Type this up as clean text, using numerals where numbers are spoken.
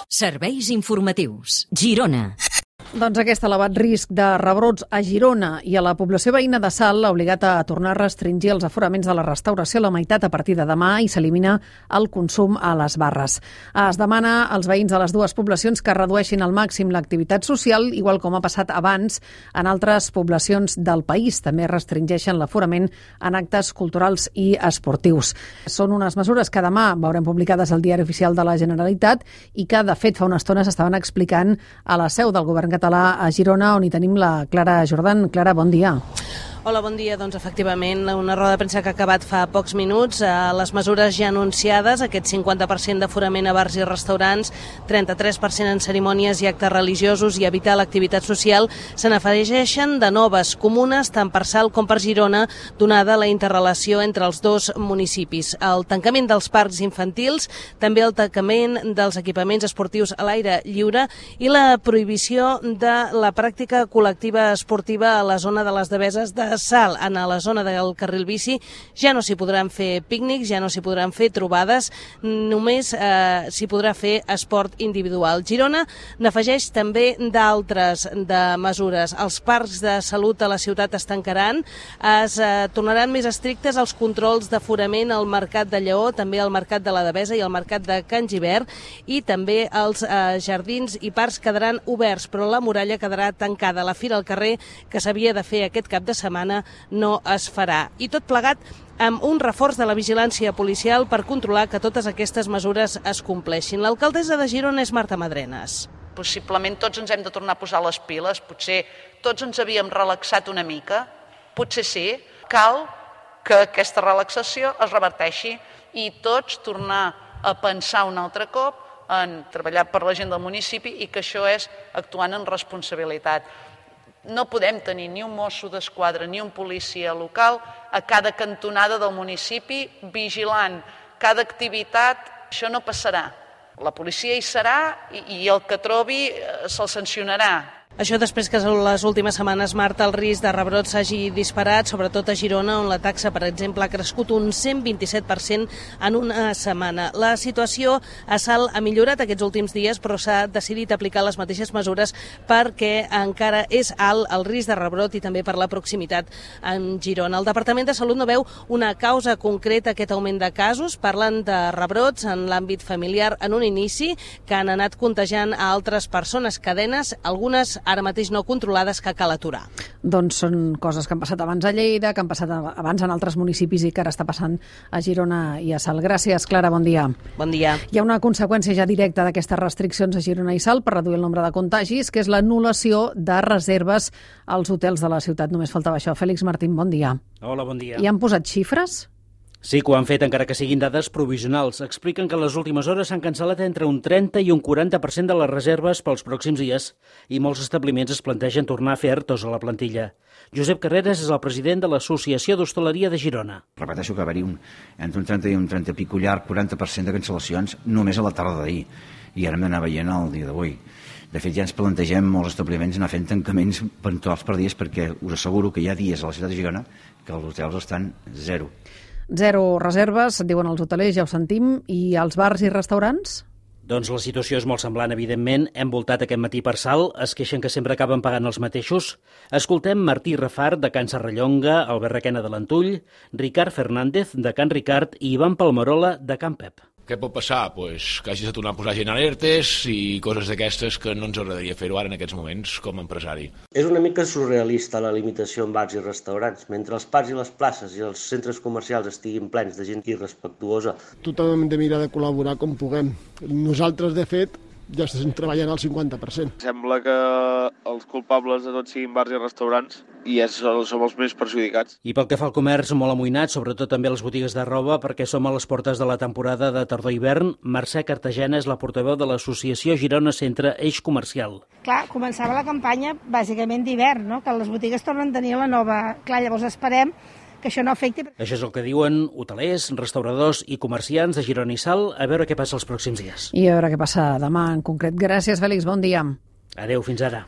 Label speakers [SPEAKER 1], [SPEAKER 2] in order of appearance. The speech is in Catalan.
[SPEAKER 1] Serveis informatius. Girona.
[SPEAKER 2] Doncs aquest elevat risc de rebrots a Girona i a la població veïna de Salt ha obligat a tornar a restringir els aforaments de la restauració a la meitat a partir de demà i s'elimina el consum a les barres. Es demana als veïns de les dues poblacions que redueixin al màxim l'activitat social, igual com ha passat abans en altres poblacions del país. També restringeixen l'aforament en actes culturals i esportius. Són unes mesures que demà veurem publicades al Diari Oficial de la Generalitat i que, de fet, fa una estona s'estaven explicant a la seu del govern català a Girona, on hi tenim la Clara Jordan. Clara, bon dia.
[SPEAKER 3] Hola, bon dia. Doncs efectivament, una roda de premsa que ha acabat fa pocs minuts. Les mesures ja anunciades, aquest 50% d'aforament a bars i restaurants, 33% en cerimònies i actes religiosos i evitar l'activitat social, se n'afegeixen de noves comunes, tant per Salt com per Girona, donada la interrelació entre els dos municipis. El tancament dels parcs infantils, també el tancament dels equipaments esportius a l'aire lliure i la prohibició de la pràctica col·lectiva esportiva a la zona de les Deveses de Salt. En la zona del carril bici ja no s'hi podran fer pícnics, ja no s'hi podran fer trobades, només s'hi podrà fer esport individual. Girona n'afegeix també d'altres de mesures. Els parcs de salut a la ciutat es tancaran, es tornaran més estrictes els controls d'aforament al Mercat de Lleó, també al Mercat de la Devesa i al Mercat de Can Gibert, i també els jardins i parcs quedaran oberts, però la muralla quedarà tancada. La fira al carrer, que s'havia de fer aquest cap de setmana, no es farà. I tot plegat amb un reforç de la vigilància policial per controlar que totes aquestes mesures es compleixin. L'alcaldessa de Girona és Marta Madrenas.
[SPEAKER 4] Possiblement tots ens hem de tornar a posar les piles, potser tots ens havíem relaxat una mica, potser sí, cal que aquesta relaxació es reverteixi i tots tornar a pensar un altre cop en treballar per la gent del municipi i que això és actuant en responsabilitat. No podem tenir ni un mosso d'esquadra ni un policia local a cada cantonada del municipi vigilant cada activitat. Això no passarà. La policia hi serà i el que trobi se'l sancionarà.
[SPEAKER 3] Això després que en les últimes setmanes, Marta, el risc de rebrot s'hagi disparat, sobretot a Girona, on la taxa, per exemple, ha crescut un 127% en una setmana. La situació a Salt ha millorat aquests últims dies, però s'ha decidit aplicar les mateixes mesures perquè encara és alt el risc de rebrot i també per la proximitat amb Girona. El Departament de Salut no veu una causa concreta a aquest augment de casos. Parlen de rebrots en l'àmbit familiar en un inici que han anat contagiant a altres persones, cadenes, algunes ara mateix no controlades, que cal aturar.
[SPEAKER 2] Doncs són coses que han passat abans a Lleida, que han passat abans en altres municipis i que ara està passant a Girona i a Salt. Gràcies, Clara, bon dia.
[SPEAKER 3] Bon dia.
[SPEAKER 2] Hi ha una conseqüència ja directa d'aquestes restriccions a Girona i Salt per reduir el nombre de contagis, que és l'anul·lació de reserves als hotels de la ciutat. Només faltava això. Fèlix Martín, bon dia.
[SPEAKER 5] Hola, bon dia.
[SPEAKER 2] I han posat xifres?
[SPEAKER 5] Sí que ho han fet, encara que siguin dades provisionals. Expliquen que en les últimes hores s'han cancel·lat entre un 30 i un 40% de les reserves pels pròxims dies i molts establiments es plantegen tornar a fer ERTOs a la plantilla. Josep Carreras és el president de l'Associació d'Hostaleria de Girona.
[SPEAKER 6] Repeteixo que va haver entre un 30 i un 30 pico llarg, 40% de cancel·lacions només a la tarda d'ahir. I ara hem d'anar veient el dia d'avui. De fet, ja ens plantegem molts establiments anar fent tancaments puntuals per dies perquè us asseguro que hi ha dies a la ciutat de Girona que els hotels estan zero.
[SPEAKER 2] Zero reserves, diuen els hotelers, ja ho sentim, i els bars i restaurants?
[SPEAKER 5] Doncs la situació és molt semblant, evidentment. Hem voltat aquest matí per Salt, es queixen que sempre acaben pagant els mateixos. Escoltem Martí Rafart, de Can Serrallonga, Albert Requena de l'Antull, Ricard Fernández, de Can Ricard, i Ivan Palmerola, de Can Pep.
[SPEAKER 7] Què pot passar? Pues que hagis de tornar a posar gent alertes i coses d'aquestes que no ens agradaria fer-ho ara en aquests moments com a empresari.
[SPEAKER 8] És una mica surrealista la limitació en bars i restaurants. Mentre els parcs i les places i els centres comercials estiguin plens de gent irrespectuosa.
[SPEAKER 9] Tothom hem de mirar de col·laborar com puguem. Nosaltres, de fet, ja estem treballant al 50%.
[SPEAKER 10] Sembla que els culpables de tot siguin bars i restaurants i som els més perjudicats.
[SPEAKER 5] I pel que fa al comerç, molt amoïnat, sobretot també les botigues de roba, perquè som a les portes de la temporada de tardor-hivern. Mercè Cartagena és la portaveu de l'associació Girona Centre Eix Comercial.
[SPEAKER 11] Clar, començava la campanya bàsicament d'hivern, no? Que les botigues tornen a tenir la nova... Clar, llavors esperem que això no afecti.
[SPEAKER 5] Això és el que diuen hotelers, restauradors i comerciants de Girona i Salt. A veure què passa els pròxims dies.
[SPEAKER 2] I a veure què passa demà en concret. Gràcies, Fèlix. Bon dia.
[SPEAKER 5] Adéu, fins ara.